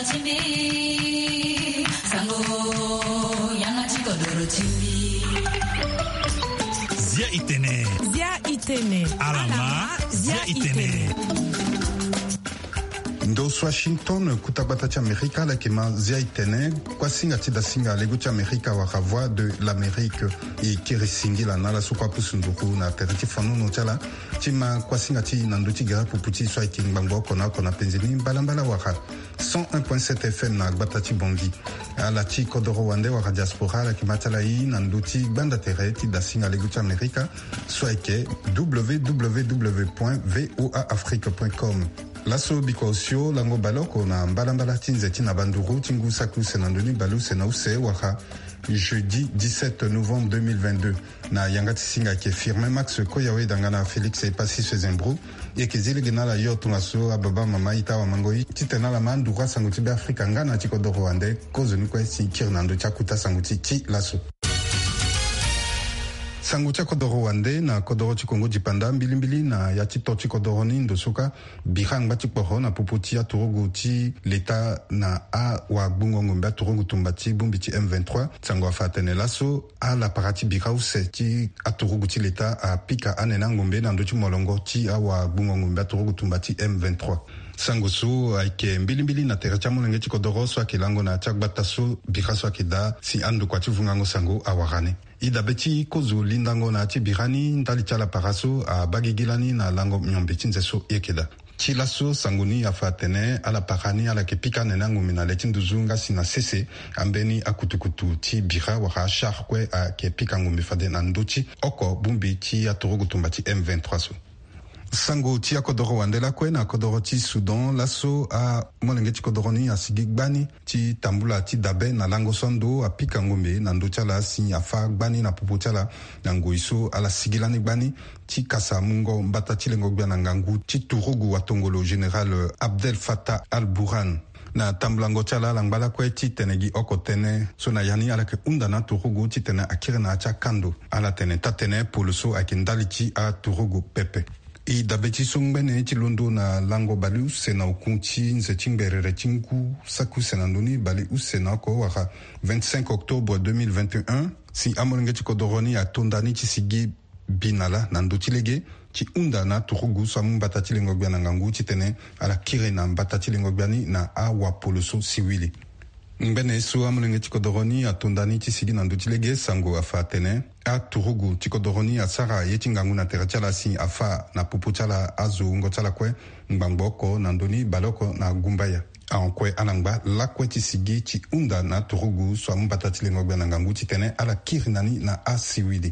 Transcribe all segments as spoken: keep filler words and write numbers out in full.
Zia itene. Zia itene. Alama, zia itene. Ndo so Washington, kuta gbata ti Amerika, ala yeke ma zia itene, kuasinga ti dasinga lego ti Amerika wala Voix de l'Amérique. E kiri singila na ala so kue apusu nduru na tere ti fanono ti ala ti ma kuasinga ti na ndö ti gere pupu ti so ayeke ngbangbo oko na oko na penze ni mbalambala wala cent un point sept F M na gbata ti Bangui. Ala ti kodoro wande wala diaspora, ala yeke ma ti ala ye na ndö ti gbanda tere ti dasinga lego ti Amerika so ayeke www point voa afrique point com. Laso bikua osio lango baleoko na mbalambala ti nze ti na banduru ti ngu saki use na ndoni baleuse na use wala jeudi dix-sept novembre deux mille vingt-deux. Na yanga ti singa ayeke Firmin Max Koyawe, danga na Félix Epassis Sezembro. E yeke zi lege na ala yo tongaso ababa mama ita wamango ye titene ala ma nduru asango ti Beafrika nga na ti kodoro wande. Kozoni kue si kiri na ndö ti akuta sango ti ti laso. Sango ti akodoro wande na kodoro ti Kongo dipanda mbilimbili na ya ti to ti kodoro ni ndo so ka bira angba ti kporo na popo ti aturugu ti leta na awagbungo ngombe aturugu tumba ti bongbi ti M vingt-trois. Sango afa atene laso alapara ti bira use ti aturugu ti leta apika anene angombe na ndö ti molongo ti awagbungo ngombe aturugu tumba ti M vingt-trois. Sango so ayeke mbilimbili na tere ti amolenge ti kodoro so ayeke lango na ya ti agbata so bira so ayeke daa si andokua ti vungango sango awara ni. E dabe ti kozo lindango na ya ti bira ni ndali ti alapara so abaa gigi lani na lango miombe ti nze so e yeke daa. Ti laso sango ni afa atene alapara ni ala yeke pika anene angombe na le ti nduzu nga si na sese ambeni akutukutu ti bira wala achar kue ayeke pika ngombe fade na ndö ti oko bongbi ti aturugu tumba ti M vingt-trois so. Sango ti akodoro wande lakue na kodoro ti Soudan, laso amolenge ti kodoro ni asigi gbani ti tambula ti dabe na lango so ando apika ngombe na ndö ti ala si afâ gbani na popo ti ala na ngoi so ala sigi lani gbani ti kasa mungo mbata ti lengo gbia na ngangu ti turugu watongolo général Abdel Fattah al-Burhan. Na tambulango ti ala ala ngba lakue titene gi oko tënë so na ya ni ala yeke hunda na aturugu titene akiri na ya ti akando. Ala tene taa-tënë polo so ayeke ndali ti aturugu pepe. E dabe ti so ngbene ti londo na lango baleuse na oku ti nze ti ngberere ti ngu saki use na ndoni baleuse na oko wala vingt-cinq octobre deux mille vingt et un, si amolenge ti kodoro ni ato nda ni ti sigi bi na lâ na ndö ti lege ti hunda na aturugu so amu mbata ti lengo gbia na ngangu titene ala kiri na mbata ti lengo gbia ni na awapolo so siwili. Ngbene so amolenge ti kodoro ni ato nda ni ti sigi na ndö ti lege, sango afa atene aturugu ti kodoro ni asara ye ti ngangu na tere ti ala si afâ na popo ti ala azo wungo ti ala kue ngbangbo oko na ndö ni baleoko na gumbaya. Ahon kue ala ngba lakue ti sigi ti hunda na aturugu so amu mbata ti lengo gbia na ngangu titene ala kiri na ni na asiwili.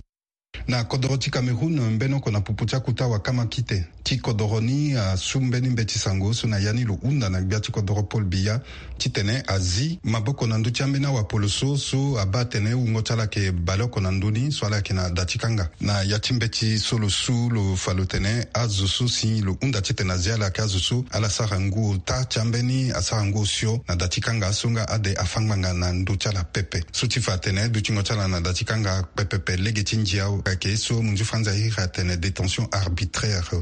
Na kodoro ti Cameroun, mbeni oko na popo ti akuta wakama kite ti kodoro ni asu mbeni mbeti sango so na ya ni lo hunda na gbia ti kodoro Paul Biya titene azi maboko na ndö ti ambeni awapoloso so abaa atene wungo ti ala ayeke baleoko na ndö ni so ala yeke na da ti kanga. Na ya ti mbeti so lo su lo fa lo tene azo so si lo hunda titene azi ala ayeke azo so ala sara ngu ota ti ambeni asara ngu osio na da ti kanga so nga ade afâ ngbanga na ndö ti ala pepe. So ti fa atene dutingo ti ala na da ti kanga pepepe lege ti ndia ayeke so munzu franza ahiri atene détention arbitraire.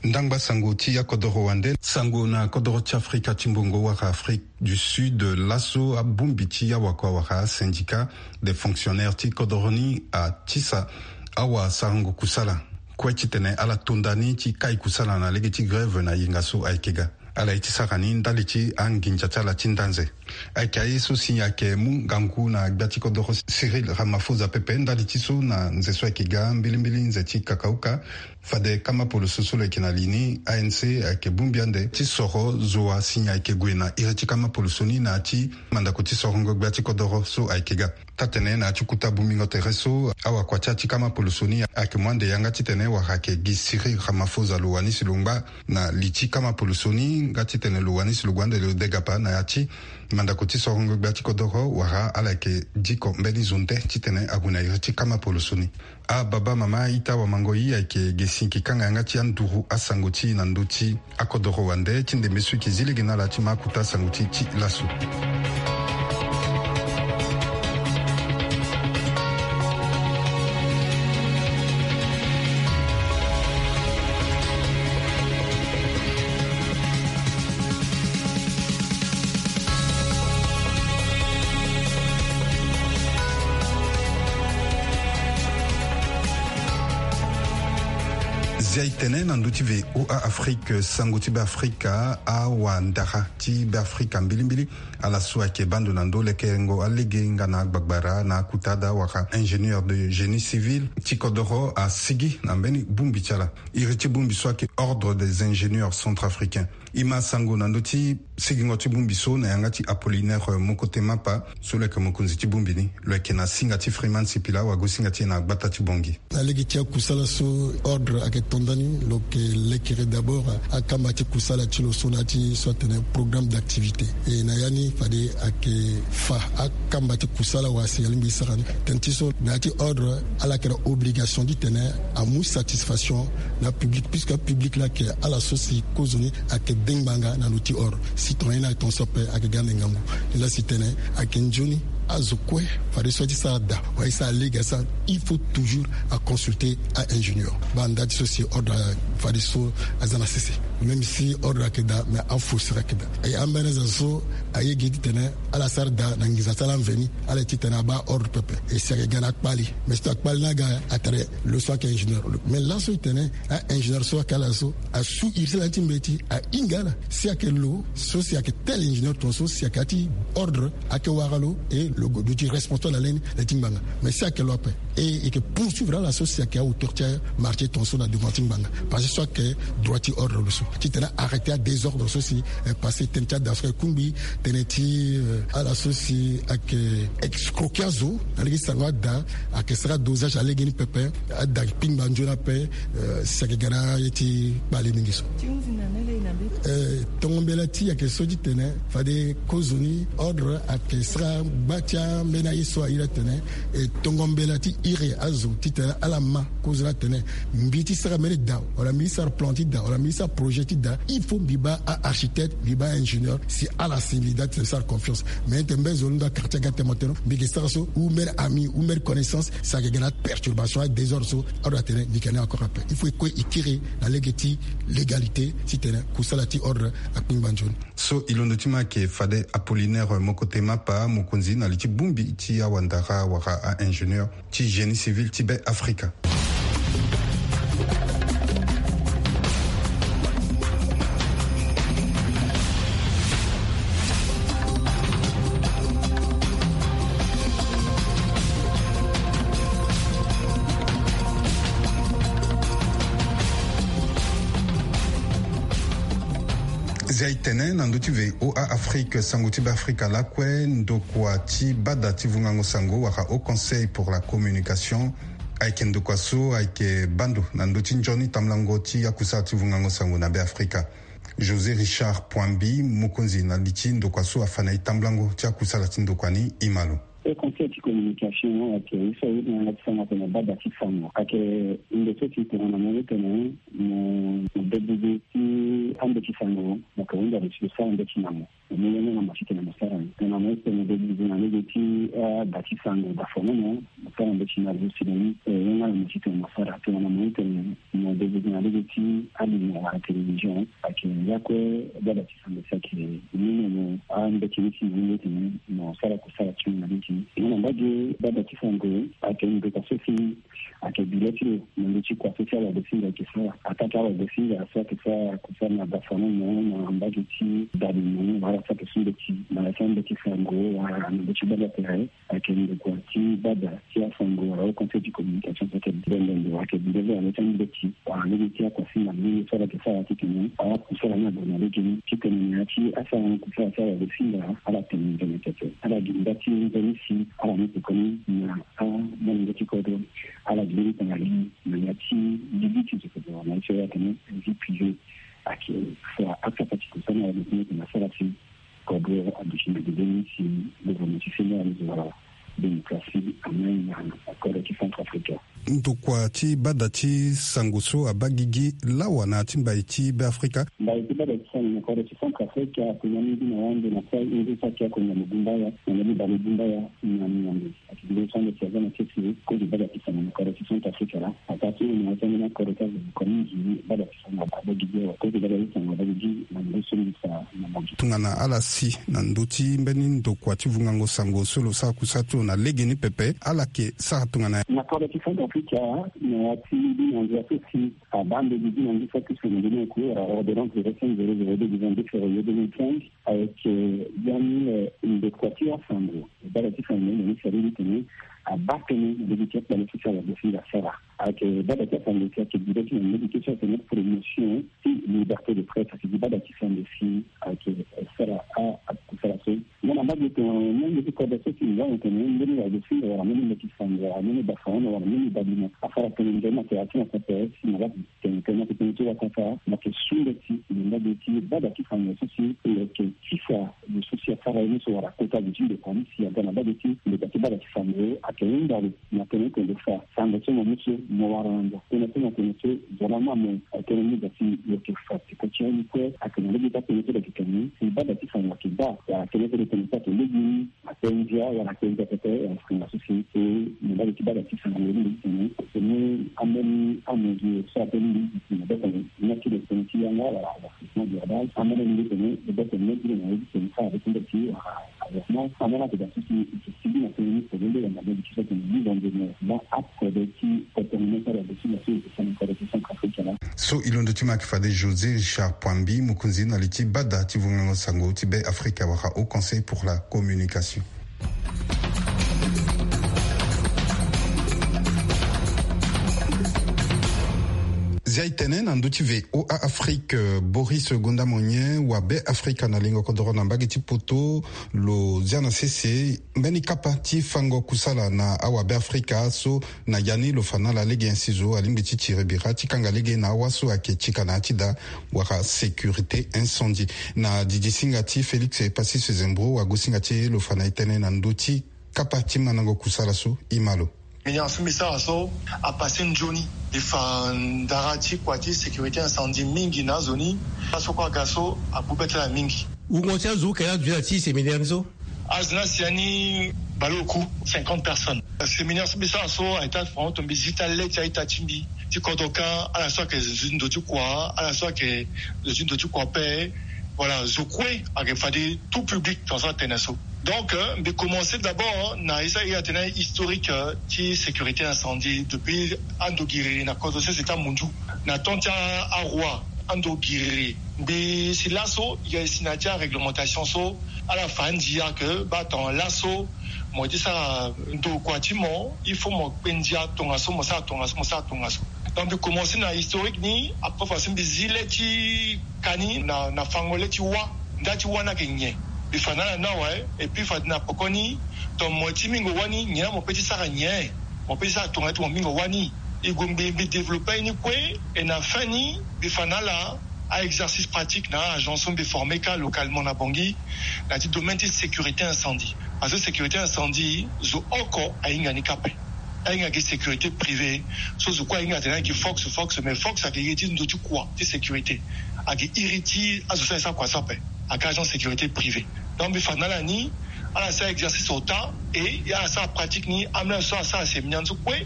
Ndangba sango ti akodoro wande. Sango na kodoro ti Afrika ti mbongo wala Afrique du Sud, laso abongbi ti awakua wala syndicat des fonctionnaires ti kodoro ni atisa awasarango kusala kue titene ala to nda ni ti kai kusala na lege ti grève na yenga so ayeke ga. Ala ye ti sara ni ndali ti anginza ti ala ti ndanze. Ayeke aye so si ayeke mu ngangu na gbia ti kodoro Cyril Ramaphosa pepe ndali ti so na nze so ayeke ga mbilimbili nze ti kakauka. Fade kama poloso so lo yeke na li ni, A N C ayeke bongbi ande ti soro zo wa si ayeke gue na iri ti kama poloso ni na ya ti mandako ti sorongo gbia ti kodoro so ayeke ga. Taa-tënë na ya ti kuta bongbingo tere so awakua ti ya ti kama poloso ni ayeke mu ande yanga titene wara ayeke gi Cyril Ramaphosa lo wani si lo ngba na li ti kama poloso ni nga titene lo wani si lo gue ande lo degapa na ya ti mandako ti sorongo gbia ti kodoro wala ala yeke diko mbeni zo nde titene ague na iri ti kama poloso ni. Ababa mama ita wamango i ayeke ge si yeke kanga yanga ti anduru asango ti i na ndö ti akodoro wande ti ndembe so i yeke zi lege na ala ti ma akuta asango ti i ti laso. Zia e tene na ndö ti VOA Afrique, sango ti Beafrika, awandara ti Beafrika mbilimbili ala so ayeke baa ndo na ndö lekerengo alege nga na agbagbara na akuta daa wala ingénieur de génie civil ti kodoro asigi na mbeni bongbi ti ala. Iri ti bongbi so ayeke Ordre des ingénieurs centrafricains. E ma sango na ndö ti sigingo ti bongbi so na yanga ti Apollinaire Mokotema Mapa, so lo yeke mokonzi ti bongbi ni. Lo yeke na singa ti Freeman Sipila, wagosinga ti e na gbata ti Bangui. Na lege ti akusala so Ordre ayeke to ndani, lo yeke lekere d'abord akamba ti kusala ti lo so na ya ti so atene programme d'activité. E na ya ni fade ayeke fa akamba ti kusala wala si alingbi e sara ni. Tënë ti so na ya ti Ordre ala yeke na obligation ti tene amu satisfaction na public, puisque public laa ayeke ala so si kozoni ayeke de ngbanga na lo ti Ordre. Si tongana ye ni ayeke tongaso ape ayeke ga ande ngangu. Ni laa si tene ayeke nzoni azo kue, fadeso ti sara daa wala e sara lege asara, il faut toujours aconsulter a-ingénieur. Baa nda ti so si Ordre fadeso aza na sese. Même si Ordre ayeke daa, mais afauseur ayeke daa. E ambeni azo so aye gi ti tene ala sara daa na nginza ti ala mveni, ala ye ti tene abaa Ordre pepe. E si ayeke ga na akpali. Mais si tongana akpali ni aga, atene lo so ayeke ingénieur lo. Mais laso e tene a-ingénieur so ayeke ala so asu iri ti ala ni ti mbeti, ahinga ala. Si ayeke lo so si ayeke tel ingénieur tongaso si ayeke ya ti Ordre ayeke wara lo, e lo duti responsable na le ni, le ti ngbanga. Mais si ayeke lo ape, e e yeke poursuivre ala so si ayeke a-hauteur ti amarché tongaso na devant ti ngbanga. Parce que so ayeke droit ti Ordre lo so ti tene arrêter adésordre so si, eh, passé tënë ti ada so ayeke kungbi, tënë ti, eh, ala so si ayeke escroquer azo na lege ti sango ada, ayeke sara dosage na lege ni pepe. Ada kpingba nzoni ape, eh, si ayeke ga na ye ti kpale mingi so. Eh, tongo mbela ti e ayeke so ti tene fade kozoni Ordre ayeke sara gba ti ambeni aye so airi atene, e tongo mbela ti iri azo ti tene ala ma kozoni atene mbi ti sara mbeni daa wala mbi ti sara plan ti daa wala mbi ti sara projet ti daa, il faut mbi baa a-architecte, mbi baa a-ingénieur, si ala si mbi daa ti tene sara confiance. Mais tene mbeni zo ni ndo a-quartier aga tene mo tene mbi yeke sara so, ou mbeni ami ou mbeni connaissance, si ayeke ga na aperturbation, adésordre so, Ordre atene mbi yeke na ni encore ape. Il faut e kue e kiri na lege ti légalité ti tene kusala ti Ordre akpingba nzoni. So e londo ti ma ayeke fade Apollinaire Mokotema Mapa, mokonzi na li ti bongbi ti awandara wala a-ingénieur ti génie civil ti Beafrika. Zia e tene na ndö ti VOA Afrique, sango ti Beafrika lakue, ndokua ti bada ti vungango sango wala Haut Conseil pour la Communication ayeke ndokua so ayeke baa ndo na ndö ti nzoni tamblango ti akusala ti vungango sango na Beafrika. José Richard Pouambi, mokonzi na li ti ndokua so afa na e tamblango ti akusala ti ndokua ni, e ma lo. Haut Conseil ti communication ayeke ye so aye na yanga ti sango atene bada ti sango. Ayeke ndo so si tongana mo ye tene mo, mo debude ti ambeti sango, mo yeke hunda lo si lo sara mbeti na mo. Mo mu ye nga na mo ti tene mo sara ni. Tongana mo ye tene mo debude na lege ti, eh, ada ti sango, dafonono, mo sara mbeti na lo si na ni, eh, ye nga na mo ti tene mo sara. Tongana mo ye tene mo debude na lege ti alimo wala télévision, ayeke ya kue bada ti sango si ayeke ni mo, ambeti ni si mo ye tene mo sara kusala ti mo na lege ni. Nga na mbage bada ti sango ayeke ndokua so si ayeke bi le ti lo na ndö ti kua so ti awagosinga ayeke sara. Ataa ti awagosinga so ayeke sara kusala na dafonono na mbage ti dalimo wala so ayeke su mbeti na ya ti ambeti sango wala na ndö ti bada tere. Ayeke ndokua ti bada ti asango wala Haut Conseil ti communication so ayeke bembe ndo ayeke bi le ti ambeti wala lege ti akuasinga mingi so ala yeke sara ti tene akusala ni ague na lege ni ti tene na ya ti asarango kusala ti awagosinga ala tene nzoni pepe. Ala gi nda ti nzoni si ala ni pekoni na amolenge ti kodro. Ala gi mbeni tanga lini na ya ti lili ti zo kodro na ye so ya tene vie privée. Ayeke fa akapa ti kusala ni ala gi tene asara si kodro aduti na gede ni si gouvernement ti Sénégal wala démocratie amai na kodro ti Centrafrique. Ndokua ti bada ti sango so abaa gigi lawa na ya ti mbai ti Beafrika. Mbai ti bada ti sango na kodro ti Centrafrique akonga mingi na wande na sa inzo saki akonga na gumbaya na mbeni bale gumbaya na miambe. Ayeke gi mbeni so ande si aza na sese kozo bada ti sango na kodro ti Centrafrique laa. Ataa ti lo na ya ti ambeni akodro ti azo kua mingi bada ti sango abaa gigi awa kozo bada ti sango abaa gigi na mbeni so mbi fa na mbage. Tongana ala si na ndö ti mbeni ndokua ti vungango sango so lo sara kusala ti lo na lege ni pepe, ala yeke sara tongana. Na kodro ti Centrafrique Ika na ya ti mbi na nzia so si abaa mbeni gi na ngia so akiri so na mbeni oko wala ordonnance de cinq zéro zéro deux du vingt-deux février deux mille quinze avec, euh, biani, euh, ndokua ti asango. Bada ti sango ni na ni sari ni tene abaa tënë na lege ti akpale so si ala dosi nga sara. Ayeke bada ti asango si ayeke gi da ti na lege ti so atene promotion ti liberté de presse, ayeke gi bada ti sango si ayeke sara a, akusala so. Nga na mbage tene, mbage ti kodro so si nga na tene mbeni wala dosi nga wala mbeni mbeti sango wala mbeni bafango wala mbeni badimo asara tene nzoni na tere ti na pepe si na la tene tene na tene ti wakata na yeke sunde ti na mbage ti bada ti sango so si lo yeke tisa lo so si asara ye ni so wala kota lo ti ndokua ni si aga na mbage ti ndokua ti bada ti sango ayeke hunda lo na tene tene lo fa sango so mo mu so mo wara na ndo tene tene tene so zo lama mo ayeke tene ni da si lo yeke fa ti kue ti aye ni kue ayeke na lege ti atene so lo yeke tene ni si bada ti sango ayeke baa wala tene so lo tene so ayeke lege ni. Apenzi a wala apenzi a pepe wala apenzi a sese so na mbage ti bada ti sango ni mbi tene tene ambeni amozi so ape ni mbi tene bete na ti lo tene ti yanga wala avertissement du radar ambeni mbi tene bete na ti lo na ye ti tene sa abe ti mbeti wala avertissement ambeni ape da so si e si bi na tene ni tene nde wala mbeni ti so tene ni londe ni bon ape de ti kotono ni sara de ti la so e tene kode ti Centrafrique la. So e londo ti ma ayeke fade José Richard Poambi, mokonzi na li ti bada ti vongango sango ti Be Afrika wala Haut Conseil pour la communication. Zia e tene na ndö ti V O A Afrique, Boris Gonda Monyen wa Be Afrika na lingo kodoro na mbage ti poto lo zia na sese mbeni kapa ti fango kusala na awa Be Afrika so na ya ni lo fa na ala lege nyen si zo alingbi ti tiri bira ti kanga lege na awa so ayeke ti ka na ya ti da wala sécurité incendie. Na didisinga ti Félix Passy Sezembro wagosinga ti e lo fa na e tënë na ndö ti kapa ti mandango kusala so. E ma lo. Mbi na so mbi sara so apassé nzoni. E fa ndara ti kua ti sécurité incendie mingi na azo ni. Aso kue aga so abu bete na mingi. Wungo ti azo oke la aduti na ti séminaire ni so. Azo ni asi ya ni baleoku cinquante personnes. Séminaire so mbi sara so ayeke ti afango to mbi zi ti ale ti a-ita ti mbi ti kodro kâ ala so ayeke zo ti ndo ti kua ala so ayeke zo ti ndo ti kua ape. Voilà zo kue ayeke fade tout public tongaso atene so. Donc, euh, mbi commencé d'abord na ye so aye atene historique, euh, ti sécurité incendie depuis ando giriri na kodro sese ti amunzu na temps ti aroi ando giriri. Mbi si laso e si na ya ti aréglementation so ala fa andia ke baa tongana laso mo ye ti sara ndokua ti mo il faut mo kpe ndia tongaso mo sara tongaso mo sara tongaso. Donc mbi commencé na historique ni après fa si mbi zi le ti ka ni na na fango le ti wâ. Nda ti wâ ni ayeke nyen? Mbi fa na ala ni awe. Et puis fade na poko ni tongana mo ye ti mingo wâ ni nyen la mo pe ti sara nyen? Mo pe ti sara tongana ti mo mingo wâ ni. E gue mbi mbi développé aye ni kue. Et na fin ni mbi fa na ala a-exercice pratique na a-agent so mbi formé kâ localement na Bangui na ya ti domaine ti sécurité incendie. Parce que sécurité incendie zo oko ahinga ni kâ ape. Ahinga gi sécurité privée so zo kue ahinga atene ayeke fox fox mais fox ayeke ye ti ndo ti kua ti sécurité. Ayeke iri ti azo so aye sara kua so ape. Ayeke agent sécurité privée. Donc mbi fa na ala ni ala sara exercice ota. Et ala sara pratique ni ambeni azo so asara séminaire ni so kue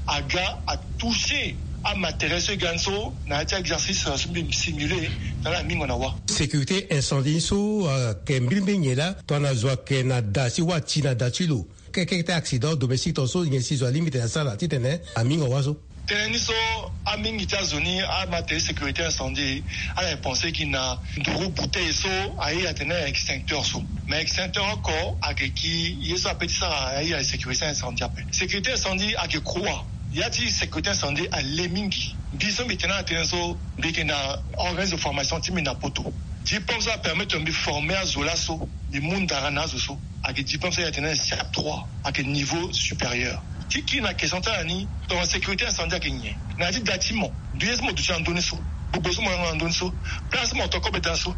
aga atouché amatériel so e ga ni so na ya ti exercice so mbi simulé na ala mingo na wâ. Sécurité incendie ni so ayeke mbilimbili nyen laa tongana zo ayeke na da ti wâ ti na da ti lo? Kekeke ti accident domestique tongaso nyen si zo alingbi tene asara titene amingo wâ so? Tënë ni so amingi ti azo ni amatériel sécurité incendie ala yeke pensé gi na nduru bouteille so aye atene extincteur so. Mais extincteur oko ayeke ki ye so ape ti sara aye sécurité incendie ape. Sécurité incendie ayeke croix. Ya ti sécurité incendie ale mingi. Mbi so mbi tene atene so mbi yeke na organisme de formation ti mbi na poto. Diplôme so apermettre mbi former azo laso mbi mu ndara na azo so. Ayeke diplôme so aye atene siap trois. Ayeke niveau supérieur. Ti kiri na question ti ala ni tongana sécurité incendie ayeke nyen? Na ya ti da ti mo ndu ye so mo duti na ndö ni so. Gbogbo so mo yanga na ndö ni so. Place so mo to kobe da so.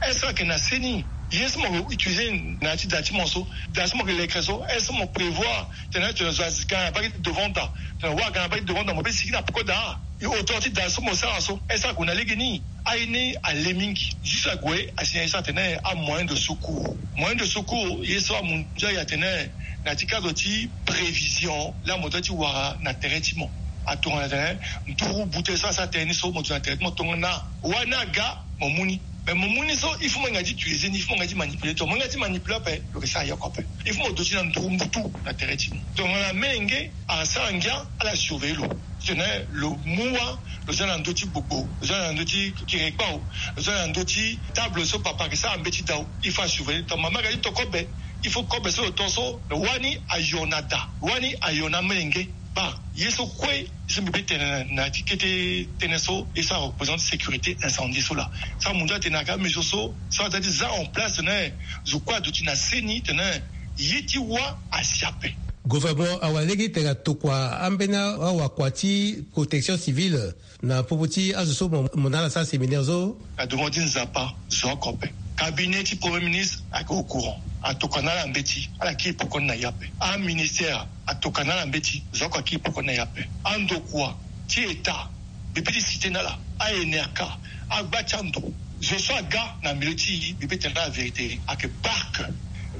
Est-ce que ayeke na seni ye so mo utilisé na ya ti da ti mo so? Da so mo yeke lekre so est-ce que mo prévoir tene tene zo aga na bage ti devant da tene wa aga na bage ti devant da mo be sigi na peko da? E hauteur ti da so mo sara so est-ce que ague na lege ni? Aye ni ale mingi. Juste ague asi na ye so atene amoyen de secours. Moyen de secours ye so amu ndia aye atene na ya ti cadre ti prévision laa mo doit ti wara na tere ti mo. Atongana tene nduru bute so asara tere ni so mo duti na tere ti mo tongana wani aga mo mu ni. Mais mo mu ni so, il faut mo yanga ti utiliser ni, il faut mo yanga ti manipuler. Donc mo yanga ti manipuler ape, lo yeke sara ye oko ape. Il faut mo duti na nduru mutu na tere ti ni. Donc na melenge asara ngia, ala surveiller lo. Titene lo mu wa, lo za na ndö ti gbogbo, lo za na ndö ti kiri kpao, lo za na ndö ti table so papa ayeke sara mbeti dao. Il faut asurveiller. Donc mama ayeke ti to kobe, il faut kobe so lo to so, wani ayo na da, wani ayo na melenge. Baa ye so kue, ye so mbi be tene na, na ti kete tënë so, ye so areprésente sécurité incendie so laa. So amu nda atene ayeke amesure so, so aza ti za en place tene zo kue aduti na seni tene ye ti wa asi ape. Gouvernement awara lege titene atokua ambeni awakua ti protection civile na popo ti azo so mo, mo na ala sara séminaire so. Na demande ti Nzapa, zo oko ape. Cabinet ti Premier Ministre ayeke au courant. Atokua na ala mbeti, ala kiri poko ni na ye ape. Aministère atokua na ala mbeti, zo oko akiri poko ni na ye ape. Andokua ti État, mbi peut ti citer na ala, a N R K, agba ti ando, zo so aga na milieu ti e, mbi peut tene na ala vérité, ayeke parc,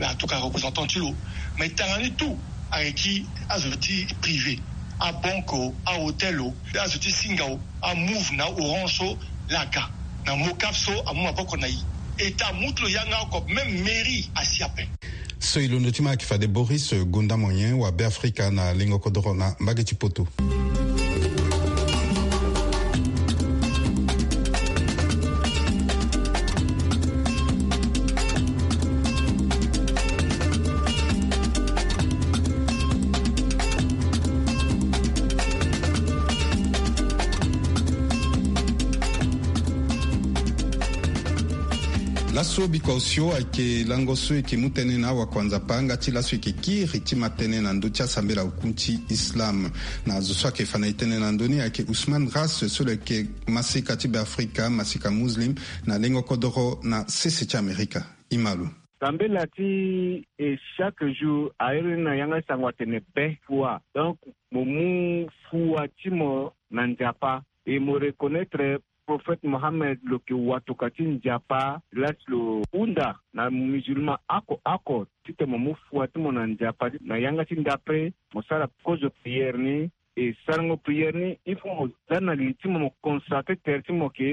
atokua représentant ti lo. Mais tanga ni tout ayeke ti azo ti privé, abanque o, ahôtel o, azo ti Singa o, aMoov na Orange so, laa aga na Mocap so amu maboko na e. État amu ti lo yanga oko, même mairie asi ape. So e londo ti ma ayeke fade Boris Gonda Moyen wa Beafrika na lengo kodoro na mbage ti poto. Laso bikua osio ayeke lango so e yeke mu tënë na awakua Nzapa nga ti laso e yeke kiri ti ma tënë na ndö ti asambela oku ti Islam. Na zo so ayeke fa na e tënë na ndö ni ayeke Ousmane Ras so lo yeke maseka ti Beafrika, maseka muslim na lengo kodoro na sese ti Amerika. E ma lo. Sambela ti e chaque jour a iri ni na yanga ti sango atene be fua. Donc mo mu fua ti mo na Nzapa. E mo reconnaître Prophète Mohammed lo yeke watokua ti Nzapa, la si lo hunda na musulman oko oko titene mo mu fua ti mo na Nzapa. Na yanga ti ndapre mo sara kozo prière ni. E sarango prière ni, il faut mo za na li ti mo, mo consacrer tere ti mo ke,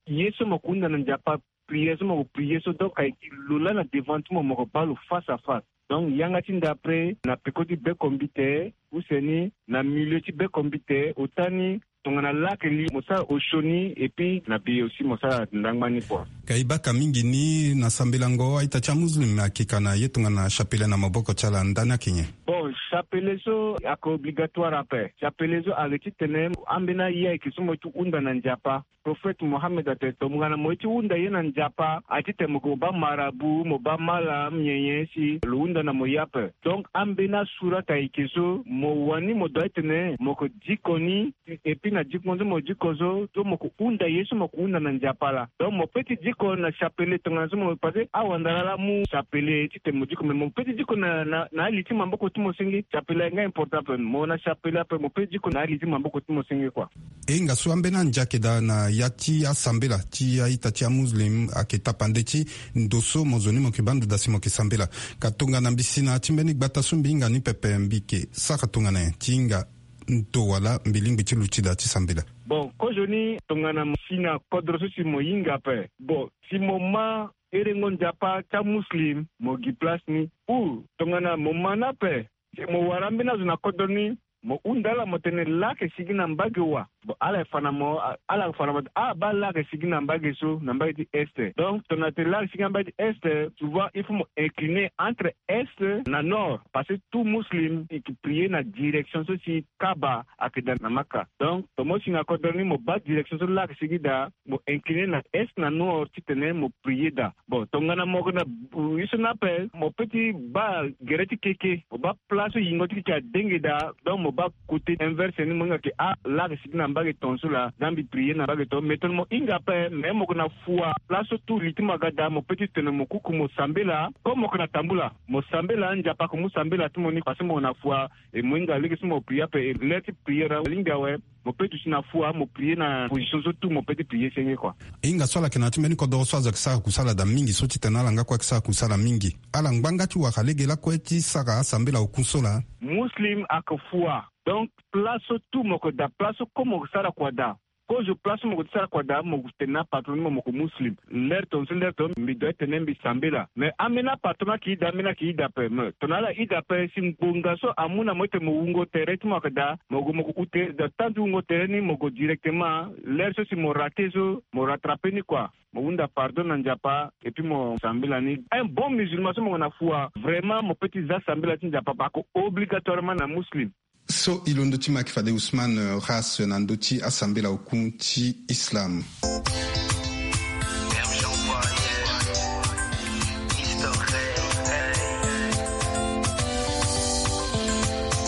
ye so mo yeke hunda na Nzapa, prière so mo yeke prier so, donc ayeke lo laa na devant ti mo, mo yeke baa lo face à face. Donc yanga ti ndapre na peko ti bekombite, use ni na milieu ti bekombite, ota ni tongana laa ayeke li mo sara osio ni, et puis na be aussi mo sara ndangba ni kua. Ka e baka mingi ni na sambelango a-ita ti amuslim ayeke ka na ye tongana chapelet na maboko ti ala, ndani ayeke nyen? Bon, chapelet so ayeke obligatoire ape. Chapelet so ayeke titene ambeni aye ayeke so mo ye ti hunda na Nzapa. Prophète Mohammed atene tongana mo ye ti hunda ye na Nzapa, aye titene mo yeke mo baa marabout, mo baa malam, nyen nyen si lo hunda na mo ye ape. Donc ambeni asurat ayeke so mo wani mo doit titene mo yeke diko ni, et puis na diko so mo diko so, so mo yeke hunda ye so mo yeke hunda na Nzapa laa. Donc mo peut ti diko na chapelet tongana so mo, parce que awandara laa amu chapelet titene mo diko, mais mo peut ti diko na, na, na ali ti maboko ti mo senge. Chapelet ayeke nga important ape. Mo na chapelet ape, mo peut ti diko na ali ti maboko ti mo senge kua. E hinga so ambeni ande ayeke daa na ya ti asambela ti a-ita ti amuslim ayeke tapande ti ndo so mo zo ni mo yeke baa ndo daa si mo yeke sambela. Ka tongana mbi si na ya ti mbeni gbata so mbi hinga ni pepe, mbi yeke sara tongana nyen ti hinga ndo wala mbi lingbi ti luti daa ti sambela? Bon, kozoni tongana mo si na kodro so si mo hinga ape. Bon, si mo ma herengo Nzapa ti amuslim, mo gi place ni. Ou tongana mo ma ni ape, si mo wara ambeni azo na kodro ni, mo hunda ala mo tene laa ayeke sigi na mbage wa. Bon, ala yeke fa na mo, a-, ala yeke fa na mo, ah, baa laa ayeke sigi na mbage so, na mbage ti est. Donc tongana tene laa ayeke sigi na mbage ti est, souvent il faut mo incliner entre est na nord, parce que tout muslim e yeke prier na direction so si Kaaba ayeke daa na Maka. Donc tongana mo si na kodro ni mo baa direction so laa ayeke sigi daa, mo incliner na est na nord titene mo prier daa. Bon, tongana mo yeke na, euh, ye so ni ape, mo peut ti baa gere ti keke, mo baa place so yingo ti keke adenge daa, donc mo baa côté inverse ni, mo hinga ke, ah, laa ayeke sigi na mbage tongaso laa, da mbi prier na mbage tongaso. Mais tongana mo hinga ape, mais mo yeke na fua, place so tout li ti mo aga daa, mo peut ti tene mo kuku mo sambela, comme mo yeke na tambula, mo sambela, Nzapa ayeke mu sambela ti mo ni, parce que mo yeke na fua, e mo hinga lege so mo prier ape, e l'heure ti prière alingbi awe, mo peut duti na fua, mo prier na position so tout mo peut ti prier senge kua. E hinga so ala yeke na ya ti mbeni kodoro so azo ayeke sara kusala daa mingi so titene ala nga kue ayeke sara kusala mingi. Ala ngba nga ti wara lege lakue ti sara asambela oku so laa. Muslim ayeke fua. Donc place so tout mo yeke daa, place so comme mo yeke sara kua daa, Kozo place so mo gue ti sara kua daa, mo gue ti tene na apatron ni mo, mo gue muslim. Lere tongaso lere tongaso mbi doit ti tene mbi sambela. Mais ambeni apatron ayeke ida, ambeni ayeke ida ape. Mais tongana ala ida ape, si ngbonga so amu na mo ti tene mo wungo tere ti mo ayeke daa, mo gue mo gue ute, donc temps ti wungo tere ni mo gue directement. Lere so si mo rate so, mo rattrape ni kua. Mo hunda pardon na Nzapa, et puis mo sambela ni. Un bon musulman so mo gue na fua, vraiment mo peut ti za sambela ti Nzapa, parce que obligatoirement na muslim. So e londo ti ma ayeke fade Ousmane, euh, Ras na ndö ti asambela oku ti Islam.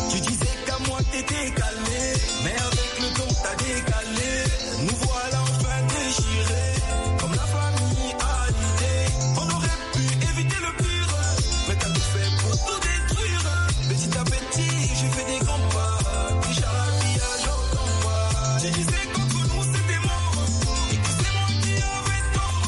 Tu disais qu'à moi t'étais calmé, mais avec le temps t'as décalé. Nous voilà enfin déchirés, comme la famille a l'idée. On aurait pu éviter le pire, mais t'as tout fait pour tout détruire. Petit à petit, j'ai fait des grands pas. Déjà l'habillage en combat. Tu disais qu'entre nous c'était mort, et que c'est moi qui avais tort.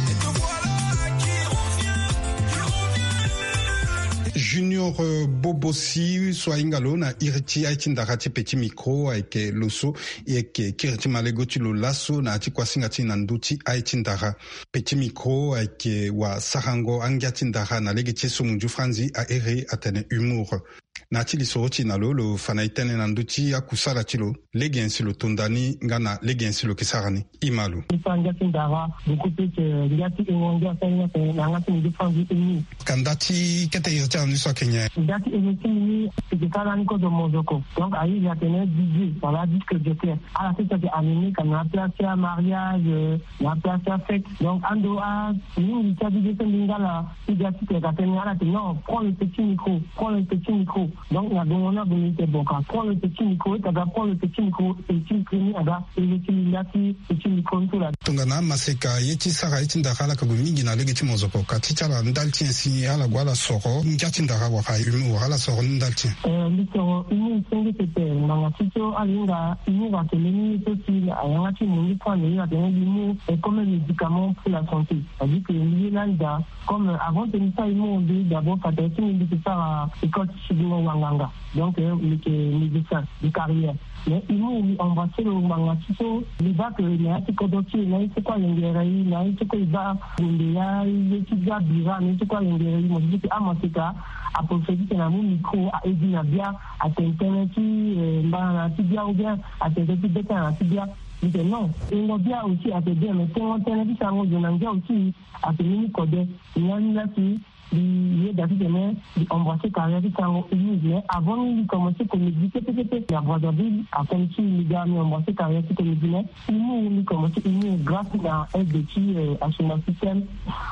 Et te voilà qui revient, qui revient. Junior, euh, Bobosi so ahinga lo na iri ti aye ti ndara ti Petit Micro ayeke lo so e yeke kiri ti malego ti lo laso na ya ti kuasinga ti e na ndö ti aye ti ndara. Petit Micro ayeke wasarango angia ti ndara na lege ti e so munzu franzi a iri atene humour. Na ya ti lisoro ti e na lo, lo fa na e tënë na ndö ti akusala ti lo, lege nyen si lo to nda ni nga na lege nyen si lo yeke sara ni. E ma lo. Ngia ti ndara, beaucoup plus, euh, ngia ti e ngia ti na yanga ti munzu franzi humour. Ka nda ti kete iri ti ala ni so ayeke nyen? Nda ti iri ti ni, c'était ça lani kozo mozoko. Donc aye iri atene D J, voilà, disque jockey. Ala sese ayeke animé ka na place ti amariage, euh, na place ti afête. Donc ando a mingi ti a D J so mbi nga la, ti ga ti tene ka tene ala tene non, prends le petit micro, prends le petit micro. Donc na gongo ni ague mbi tene bon ka prends le petit micro, ita ga prends le petit micro, et ti micro ni aga iri ti mbi nda ti petit micro ni so la. Tongana amaseka ye ti sara ye ti ndara ala yeke gue mingi na lege ti mozoko, ka ti ti ala ndali ti nyen si ala gue ala soro ngia ti ndara wala humour wala ala soro ni ndali ti nyen? Euh, mbi soro humour senge pepe, ngbanga ti so ala hinga humour atene ni so si ayanga ti mo ni so ane atene humour est comme un médicament pour la santé. C'est-à-dire que mbi ye lani daa, comme, euh, avant ti mbi sara humour, mbi d'abord fade ti mbi, mbi yeke sara école ti sidingo wanganga. Donc, euh, mbi yeke médecin de carrière. Mais humour mbi embrasser lo ngbanga ti so mbi baa que na ya ti kodro ti e, na ye ti kue alengere e, na ye ti kue e baa gonde ya ye ti bia bira, na ye ti kue alengere e, mo si ti amaseka aprofiter ti tene amu micro, a edi na bia, atene tënë ti, euh, mbana na ya ti bia, ou bien atene tënë ti beta na ya ti bia. Mbi tene non, tengo bia aussi ayeke bien, mais tengo tënë ti sarango zo na ngia aussi ayeke mbeni kode. Ni lani la si mbi yeda titene mbi embrasser carrière ti sarango humour, mais avant ni mbi commencer comédie kete kete na Brazzaville. Akono ti mbi ga mbi embrasser carrière ti comédie, mais humour mbi commencer humour grâce na aide ti, euh, Assoumani Système,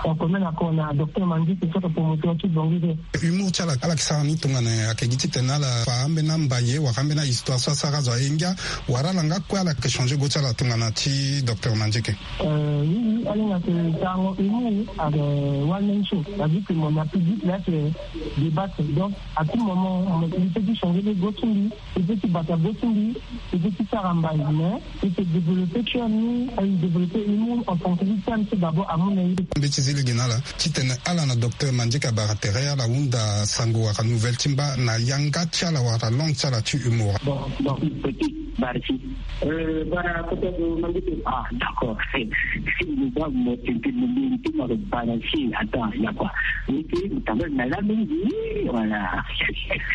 en commun accord na docteur Mangi, c'est ça le promoteur ti Bongi. Humour ti ala, ala yeke sara ni tongana nyen? Ayeke gi titene ala fa ambeni ambaye wala ambeni ahistoire so asara azo aye ngia, wala ala nga kue ala yeke changer go ti ala tongana ti docteur Mangi? Euh, oui, oui, ala hinga tene sarango humour ayeke one man show. C'est-à-dire que mo na public la ayeke débattre. Donc à tout moment mo peut ti changer le go ti mbi, mo peut ti bata go ti mbi, mo peut ti sara mbai, mais mo peut développer cœur ni, aye développer humour en fonction du thème ti d'abord amu na ye. Mbi ti zi lege na ala titene ala na docteur Mangi abara tere ala hunda sango wala nouvelle ti mba na yanga ti ala wala langue ti ala ti humour. Bon, bon, petit, merci. Euh, bara kota zo mangi te. Ah, d'accord. Si mo ba mo tente mo mbi ti mo balancer, attends, ya quoi. Ni ti mo tamba na la mingi, voilà.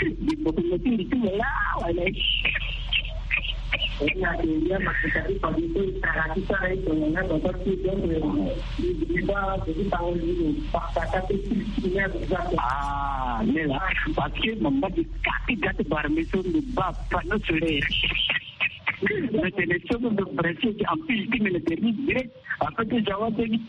Di mo ko mo ti mo la, voilà. Ena te ya ma ko ta di pa di ko ta ti sara e ko na ba ba ti donc, euh, di ba ko ti pa o di pa ta ti ti ya ba. Ah, mais là, parce que mo mba di kati kati bara mi so mbi ba panneau solaire. Mbi tene so mbi branché ti ampli ti mbi na terni direct. Après ti jawa ti mbi.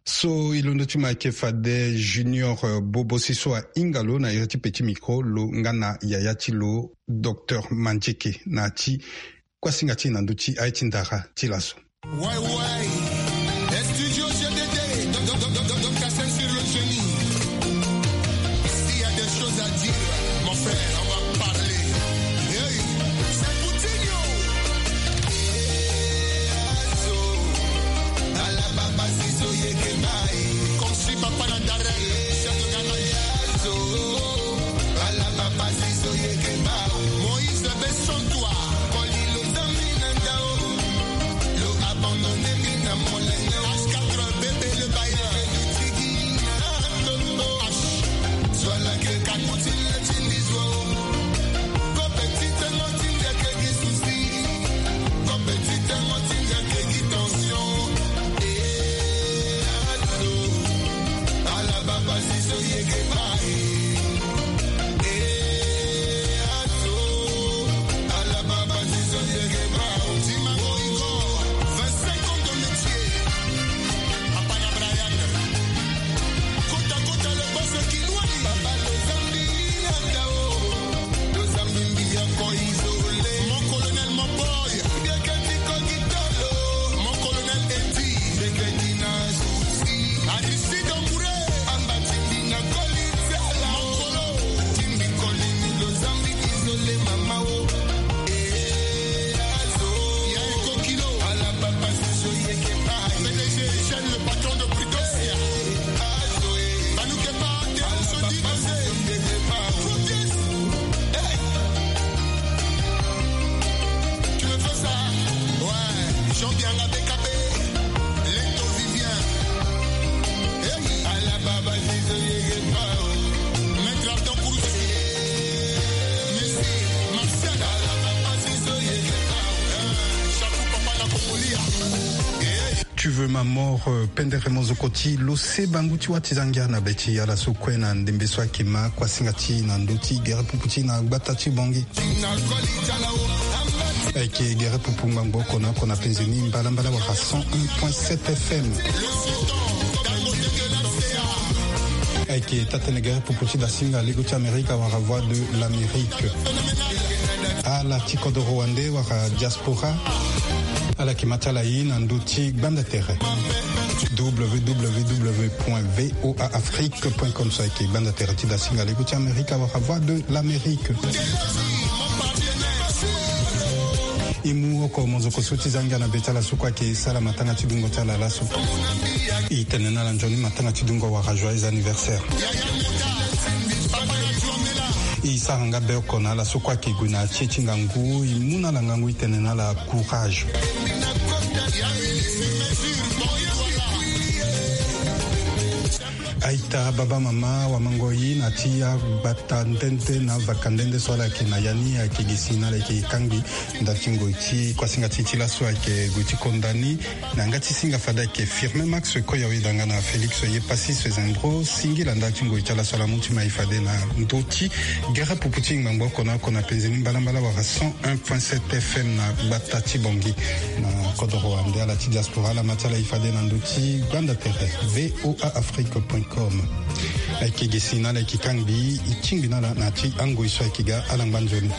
So e londo ti mo ayeke fade Junior, euh, Bobosi so ahinga lo na iri ti Petit Micro, lo nga na yaya ti lo docteur Mangi na ya ti kuasinga ti e na ndö ti aye ti ndara ti laso. Ouais, ouais. Studio G D D, donc, donc, donc, donc, donc, Kassem sur le génie. S'il y a des choses à dire, mon frère, on va parler. Hey, c'est Coutinho. Ala baba zizo yeke mai. Comme si papa na darel, chef de gare. Ala baba zizo yeke mai. Moïse Besson toi. Kolilo zambi na ndao. Tu veux ma mort, euh, pendere mo zo koti lo se bangu ti wati zangia na be ti ala so kue na ndembe so ayeke ma kuasinga ti na ndö ti gere pupu ti na gbata ti bongi. Ayeke gere pupu ngbangbo oko na oko na penze ni mbalambala wala cent un point sept F M. Ayeke taa-tënë gere pupu ti dasinga lego ti Amerika wala Voix de l'Amérique. Ala ti kodoro wande wala diaspora. Ala yeke ma ti ala ye na ndö ti gbanda tere. W W W point V O A Afrique point com so ayeke gbanda tere ti dasinga lego ti Amerika wala Voix de l'Amérique. E mu oko mo zo koti so ti zangia na be ti ala so kue ayeke sara matanga ti dungo ti ala laso. E tene na ala nzoni matanga ti dungo wala joyeux anniversaire. E sara nga be oko na ala so kue ayeke gue na tie ti ngangu, e mu na ala ngangu, e tene na ala courage. Aita, baba, mama, wamango ye na ti agbata nde nde na vaka nde nde so ala yeke na ya ni, ayeke gi si na ala yeke kangbi ndali ti ngoi ti kuasinga ti e ti laso ayeke gue ti konda ni. Na yanga ti singa fade ayeke Firmin Max Koyawe, danga na Félix Yepassis Zendro, singila ndali ti ngoi ti ala so ala mu ti ma e fade na ndö ti gere pupu ti ngbangbo oko na oko na penze ni mbalambala wala cent un point sept F M na gbata ti Bangui. Na kodoro wande ala ti diaspora, ala ma ti ala e fade na ndö ti gbanda tere V O A Afrique point com. Ayeke gi si na ala, ayeke kangbi, e tingbi na ala na ya ti angoi so ayeke ga ala ngba nzoni.